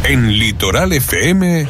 En Litoral FM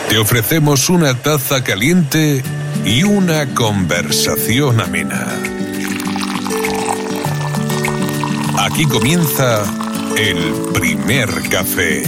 te ofrecemos una taza caliente y una conversación amena. Aquí comienza el primer café.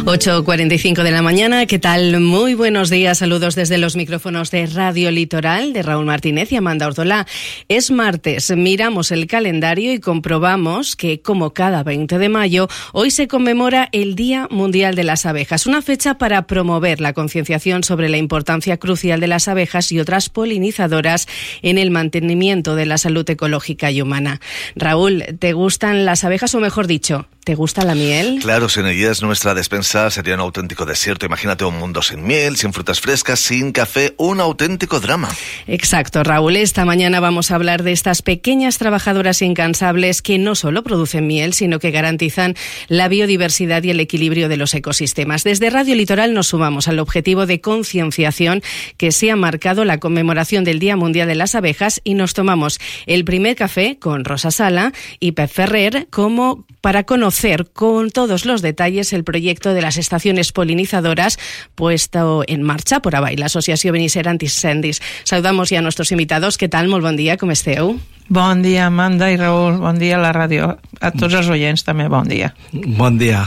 8:45 de la mañana, ¿qué tal? Muy buenos días, saludos desde los micrófonos de Radio Litoral, de Raúl Martínez y Amanda Ordolá. Es martes, miramos el calendario y comprobamos que, como cada 20 de mayo, hoy se conmemora el Día Mundial de las Abejas, una fecha para promover la concienciación sobre la importancia crucial de las abejas y otras polinizadoras en el mantenimiento de la salud ecológica y humana. Raúl, ¿te gustan las abejas o, mejor dicho, te gusta la miel? Claro, sin ellas nuestra despensa sería un auténtico desierto. Imagínate un mundo sin miel, sin frutas frescas, sin café, un auténtico drama. Exacto, Raúl. Esta mañana vamos a hablar de estas pequeñas trabajadoras incansables que no solo producen miel, sino que garantizan la biodiversidad y el equilibrio de los ecosistemas. Desde Radio Litoral nos sumamos al objetivo de concienciación que se ha marcado la conmemoración del Día Mundial de las Abejas y nos tomamos el primer café con Rosa Sala y Pep Ferrer como para conocer con todos los detalles el proyecto de las estaciones polinizadoras puesto en marcha por ABAI, la Associació Benisser Anticendis. Saludamos ja a nuestros invitados. Què tal? Molt bon dia, com esteu? Bon dia, Amanda i Raül. Bon dia a la ràdio. A tots els oients també, bon dia. Bon dia.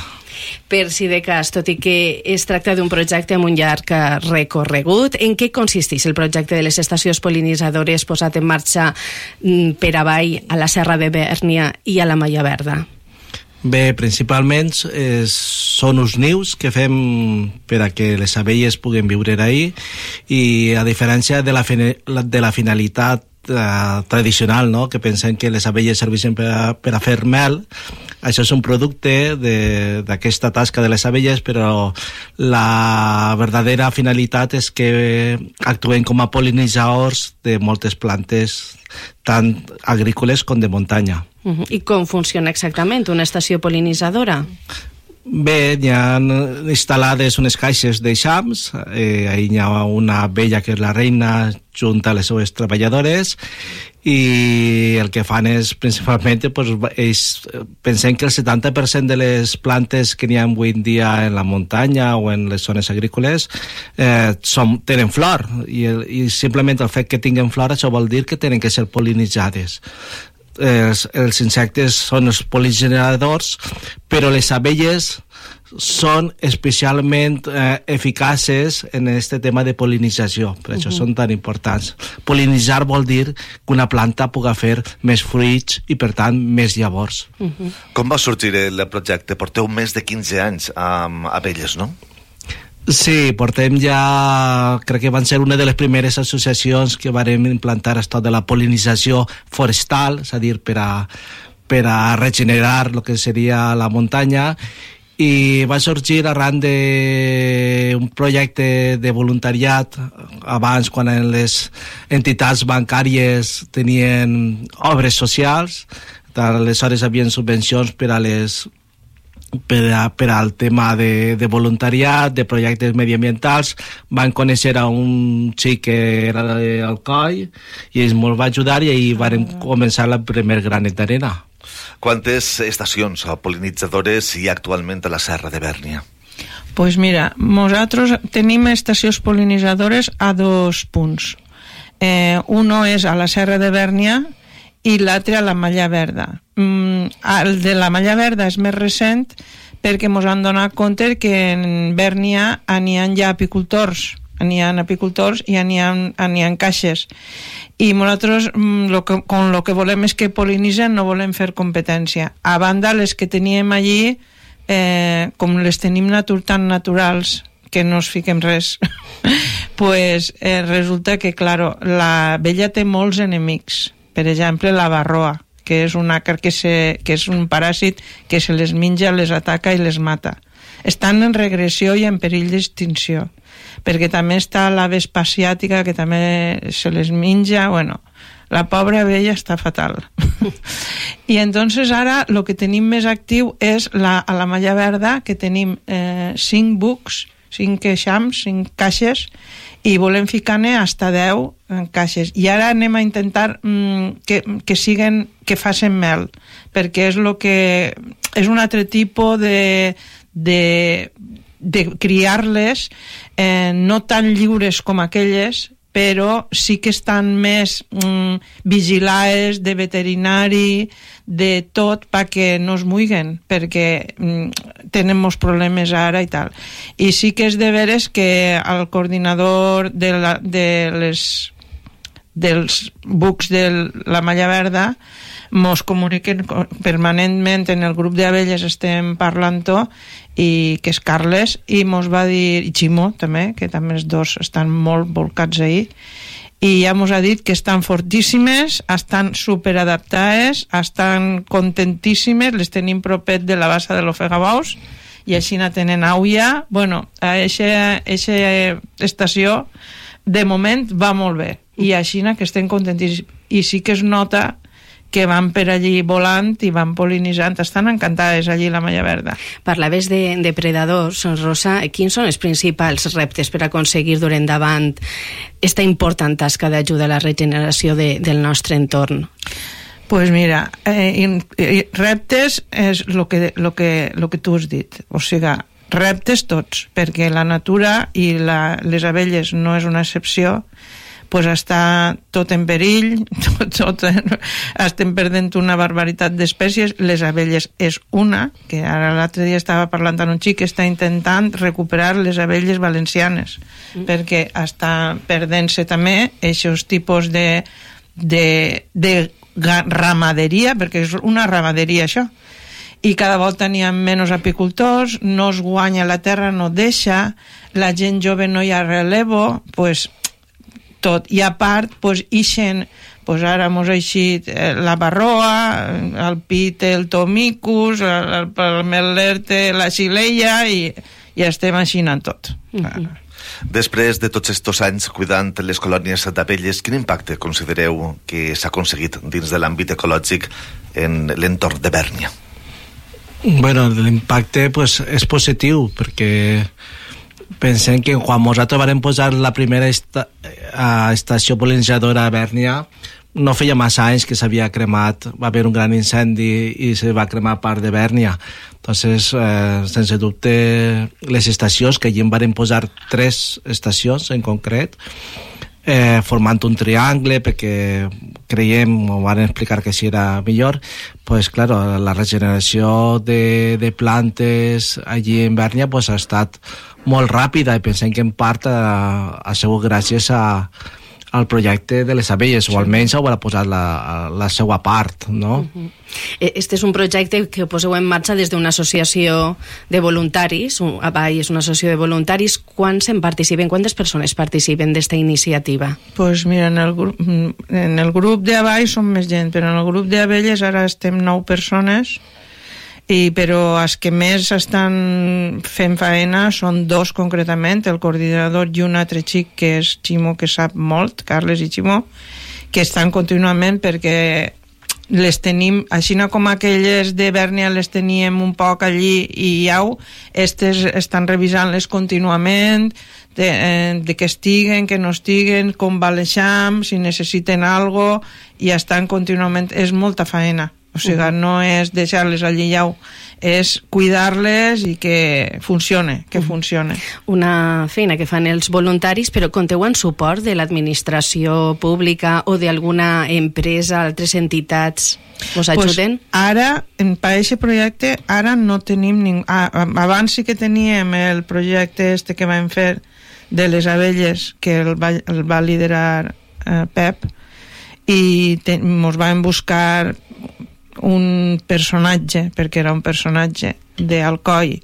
Per si de cas, tot i que es tracta d'un projecte amb un llarg recorregut, en què consisteix el projecte de les estacions polinitzadores posat en marxa per ABAI a la Serra de Bèrnia i a la Malla Verda? Bé, principalment són uns nius que fem per a que les abelles puguen viure ahí i a diferència de la finalitat tradicional, no? Que pensem que les abelles serveixen per a fer mel. Això és un producte d'aquesta tasca de les abelles, però la verdadera finalitat és que actuen com a pol·linitzadors de moltes plantes, tant agrícoles com de muntanya. I com funciona exactament una estació pol·linitzadora? Bé, hi ha instal·lades unes caixes d'eixams, ahí hi ha una abella que és la reina junt a les seves treballadores i el que fan és principalment pensem que el 70% de les plantes que n'hi ha avui en dia en la muntanya o en les zones agrícoles tenen flor i simplement el fet que tinguin flor això vol dir que tenen que ser pol·linitzades. Els insectes són els pol·linizadors, però les abelles són especialment eficaces en aquest tema de pol·linització, per això són tan importants. Pol·linitzar vol dir que una planta pugui fer més fruits i, per tant, més llavors. Com va sorgir el projecte? Porteu més de 15 anys amb abelles, no? Sí, portem ja, crec que van ser una de les primeres associacions que vam implantar esto de la pol·linització forestal, és a dir, per a regenerar el que seria la muntanya, i va sorgir arran d'un projecte de voluntariat abans, quan les entitats bancàries tenien obres socials, aleshores havien subvencions per al tema de voluntariat, de projectes mediambientals. Van conèixer a un xic que era d'Alcoi i ell ens va ajudar i ahir vam començar el primer granet d'arena. Quantes estacions pol·linitzadores hi ha actualment a la Serra de Bèrnia? Pues mira, nosaltres tenim estacions pol·linitzadores a 2 punts. Uno és a la Serra de Bèrnia i l'altre a la Malla Verda. El de la Malla Verda és més recent perquè ens han donat compte que en Bèrnia n'hi ha ja apicultors, n'hi ha apicultors i n'hi ha caixes. I nosaltres lo que volem és que pol·linitzen, no volem fer competència. A banda, les que teníem allí, com les tenim tan naturals que no es fiquem res, pues resulta que, claro, l'abella té molts enemics. Per exemple, la varroa, que és un àcar que és un paràsit que se les menja, les ataca i les mata. Estan en regressió i en perill d'extinció, perquè també està la vespa asiàtica que també se les menja. Bueno, la pobra abella està fatal. I entonces ara el que tenim més actiu és a la Malla Verda, que tenim 5 bucs, 5 eixams, 5 caixes, i volem ficar-ne hasta 10 caixes. I ara anem a intentar que facin mel, perquè és el que és un altre tipus de criar-les, no tan lliures com aquelles, però sí que estan més vigilades de veterinari, de tot, perquè no es muiguen, perquè tenen molts problemes ara i tal. I sí que és de veres que el coordinador dels bucs de la malla verda mos comuniquen permanentment, en el grup d'abelles estem parlant-ho, i que és Carles, i mos va dir, i Ximo també, que també els dos estan molt volcats ahí, i ja mos ha dit que estan fortíssimes, estan superadaptades, estan contentíssimes, les tenim propet de la bassa de l'Ofegabaus, i així no tenen auia. Bueno, a eixa estació de moment va molt bé, i així que estem contentíssims, i sí que es nota que van per allí volant i van pol·linitzant, estan encantades allí la malla verda. Parlaves de depredadors, Rosa, quins són els principals reptes per aconseguir dur endavant esta important tasca d'ajuda a la regeneració del nostre entorn? Pues mira, reptes és lo que tu has dit, o sigui, reptes tots, perquè la natura i les abelles no és una excepció, pues està tot en perill, estem perdent una barbaritat d'espècies. Les abelles és una, que ara l'altre dia estava parlant amb un xic que està intentant recuperar les abelles valencianes, perquè està perdent-se també aquests tipus de ramaderia, perquè és una ramaderia això, i cada volta n'hi ha menys apicultors, no es guanya la terra, no deixa, la gent jove no hi ha relevo, pues tot, i a part ixen, ara mos ha eixit la barroa, el pit, el tomicus, el melerte, la xileia, i estem aixinant tot. Després de tots estos anys cuidant les colònies d'abelles, quin impacte considereu que s'ha aconseguit dins de l'àmbit ecològic en l'entorn de Bèrnia? Bueno, l'impacte és positiu, perquè pensem que quan nosaltres vam posar la primera estació pol·linitzadora a Bèrnia, no feia massa anys que s'havia cremat, va haver un gran incendi i se va cremar part de Bèrnia. Entonces, sense dubte, les estacions, que allí en van posar 3 estacions en concret, formant un triangle, perquè creiem, o van explicar que així era millor, pues claro, la regeneració de plantes allí en Bèrnia pues, ha estat molt ràpida, i pensem que en part ha sigut gràcies al projecte de les abelles, o almenys ho ha posat la seva part, no? Este és un projecte que poseu en marxa des d'una associació de voluntaris, ABAI és una associació de voluntaris. Quants en participen, quantes persones participen d'esta iniciativa? Pues mira, en el grup d'ABAI som més gent, però en el grup d'abelles ara estem 9 persones, però els que més estan fent faena són 2 concretament, el coordinador i un altre xic que és Ximo, que sap molt, Carles i Ximo, que estan contínuament, perquè les tenim, així com aquelles de Bèrnia les teníem un poc allí i estes estan revisant-les contínuament, de que estiguen, que no estiguen, com va l'eixam, si necessiten alguna cosa, i estan contínuament, és molta faena. O sigui, no és deixar-les allí és cuidar-les i que funcione, Una feina que fan els voluntaris, però compteu amb suport de l'administració pública o d'alguna empresa, altres entitats us ajuden? Pues ara, per aquest projecte, ara no tenim ningú. Abans sí que teníem el projecte que vam fer de les abelles, que el va liderar Pep, i ens vam buscar un personatge, perquè era un personatge d'Alcoi,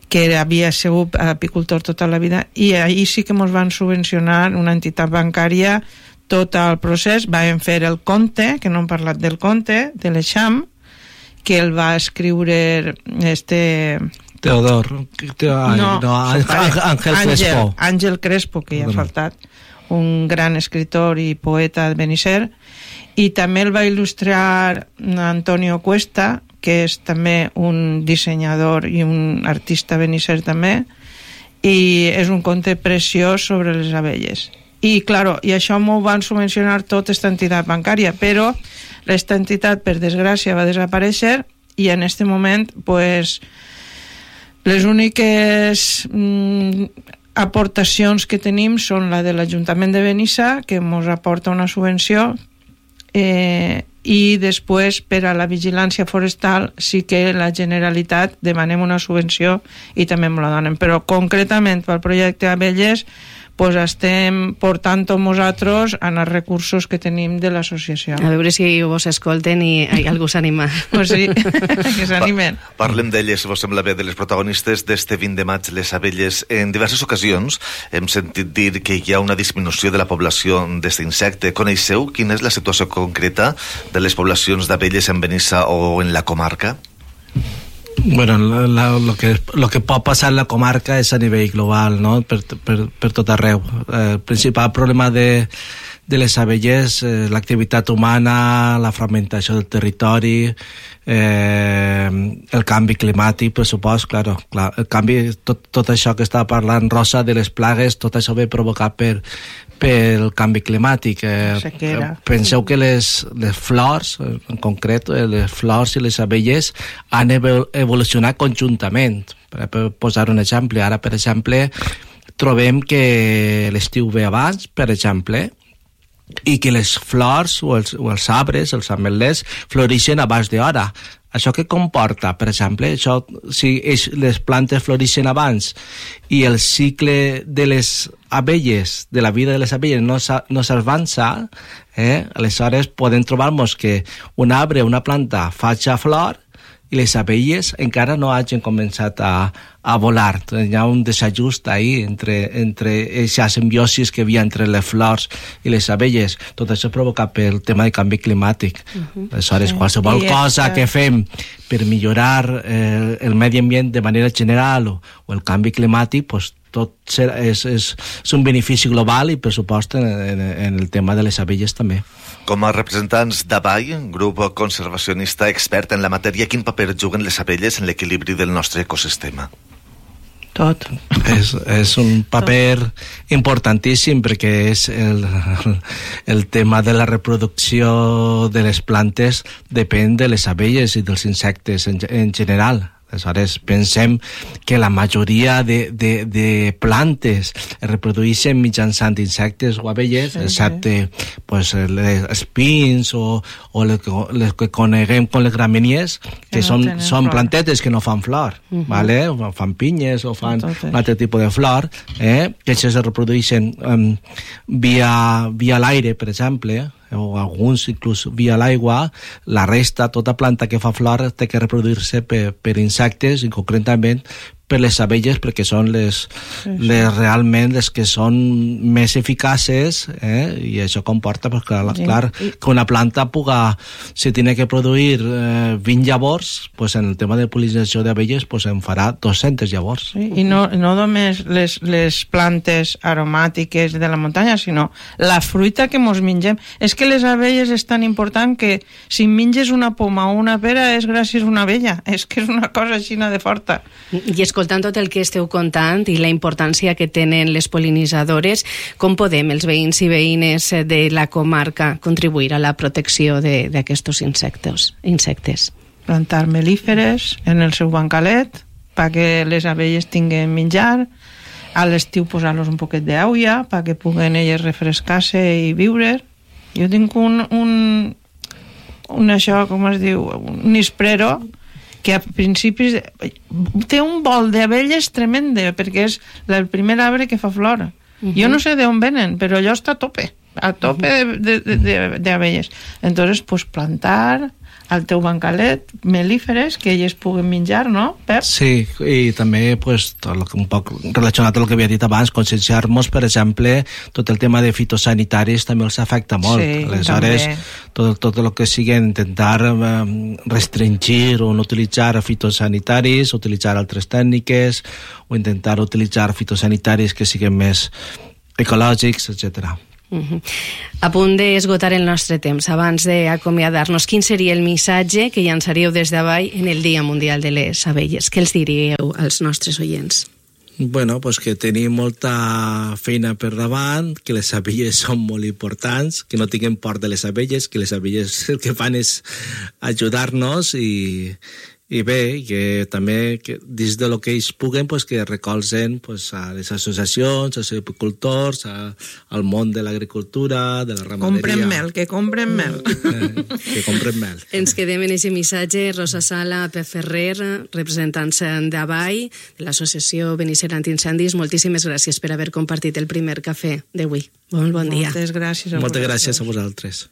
que havia sigut apicultor tota la vida, i ahir sí que ens van subvencionar una entitat bancària tot el procés. Vam fer el conte, que no hem parlat del conte, de l'Eixam, que el va escriure Teodor, Àngel Crespo, que ja ha faltat, un gran escritor i poeta de Benisser, i també el va il·lustrar Antonio Cuesta, que és també un dissenyador i un artista benisser també, i és un conte preciós sobre les abelles. I, claro, i això m'ho van subvencionar tota aquesta entitat bancària, però aquesta entitat, per desgràcia, va desaparèixer, i en este moment pues, les úniques aportacions que tenim són la de l'Ajuntament de Benissa, que ens aporta una subvenció, i després per a la vigilància forestal sí que la Generalitat demanem una subvenció i també ens la donen, però concretament pel projecte Abelles pues estem portant nosaltres en els recursos que tenim de l'associació. A veure si vos escolten i algú s'anima. Pues sí, que s'animen. Parlem d'elles, si vos sembla bé, de les protagonistes d'este 20 de maig, les abelles. En diverses ocasions hem sentit dir que hi ha una disminució de la població d'aquest insecte. Coneixeu quina és la situació concreta de les poblacions d'abelles en Benissa o en la comarca? Bueno, lo que pot passar en la comarca és a nivell global, no? Per tot arreu. El principal problema de les abelles, l'activitat humana, la fragmentació del territori, el canvi climàtic, per supost, clar, el canvi, tot això que estava parlant Rosa de les plagues, tot això ve provocat pel canvi climàtic. Penseu que les flors, en concret, les flors i les abelles han evolucionat conjuntament. Per posar un exemple, ara, per exemple, trobem que l'estiu ve abans, per exemple, i que les flors o els arbres, els ametlers, floreixen abans d'hora. Això què comporta? Per exemple, si les plantes floreixen abans i el cicle de les abelles, de la vida de les abelles no s'avança, aleshores podem trobar-nos que un arbre, una planta, faci flor i les abelles encara no hagin començat a volar. Hi ha un desajust ahí entre aquesta simbiosis que hi havia entre les flors i les abelles. Tot això provocat pel tema de canvi climàtic. Aleshores, qualsevol cosa que fem per millorar el medi ambient de manera general o el canvi climàtic, pues, tot és un benefici global i, per supost, en el tema de les abelles també. Com a representants d'ABAI, grup conservacionista expert en la matèria, quin paper juguen les abelles en l'equilibri del nostre ecosistema? Tot. És un paper importantíssim perquè és el tema de la reproducció de les plantes depèn de les abelles i dels insectes en general. Aleshores, pensem que la majoria de plantes es reprodueixen mitjançant insectes o abelles, excepte pues, els pins o les que coneguem com les gramínies, que són plantetes que no fan flor, ¿vale? O fan pinyes o fan un altre tipus de flor, que això se reprodueixen via l'aire, per exemple, o alguns inclús via l'aigua. La resta, tota planta que fa flor té que reproduir-se per insectes i concretament per les abelles, perquè són realment les que són més eficaces, i això comporta pues, clar, que una planta puga, si tiene que produir 20 llavors, pues, en el tema de polinització d'abelles pues, en farà 200 llavors. Sí, i no només les plantes aromàtiques de la muntanya, sinó la fruita que mos mengem. És que les abelles és tan important que si menges una poma o una pera és gràcies a una abella. És que és una cosa així de forta. I escoltant tot el que esteu contant i la importància que tenen les pol·linitzadores, com podem els veïns i veïnes de la comarca contribuir a la protecció d'aquests insectes? Plantar melíferes en el seu bancalet perquè les abelles tinguen menjar, a l'estiu posar-los un poquet d'aigua perquè puguen elles refrescar-se i viure. Jo tinc un això, com es diu, un isprero que a principis té un vol d'abelles tremende perquè és el primer arbre que fa flor. Jo no sé d'on venen, però allò està a tope d'abelles. Entonces, pues plantar al teu bancalet melíferes que elles puguen menjar, no, Pep? Sí, i també pues, un poc relacionat amb el que havia dit abans, conscienciar-nos, per exemple, tot el tema de fitosanitaris també els afecta molt. Sí, aleshores, tot el que sigui intentar restringir o no utilitzar fitosanitaris, utilitzar altres tècniques o intentar utilitzar fitosanitaris que siguin més ecològics, etcètera. A punt d'esgotar el nostre temps, abans d'acomiadar-nos, quin seria el missatge que llançaríeu des d'avall en el Dia Mundial de les Abelles? Què els diríeu als nostres oients? Bueno, pues que tenim molta feina per davant, que les abelles són molt importants, que no tinguem por de les abelles, que les abelles el que fan és ajudar-nos i bé, que també que dins de lo que ells puguen pues, que recolzen pues, a les associacions, als apicultors, al món de l'agricultura, de la ramaderia. Que compren mel. Que compren mel. Ens quedem en aquest missatge. Rosa Sala, Pep Ferrer, representants d'Avall, de l'associació Benisser Antiincendis, moltíssimes gràcies per haver compartit el primer cafè d'avui. Molt bon dia. Moltes gràcies a Moltes gràcies a vosaltres.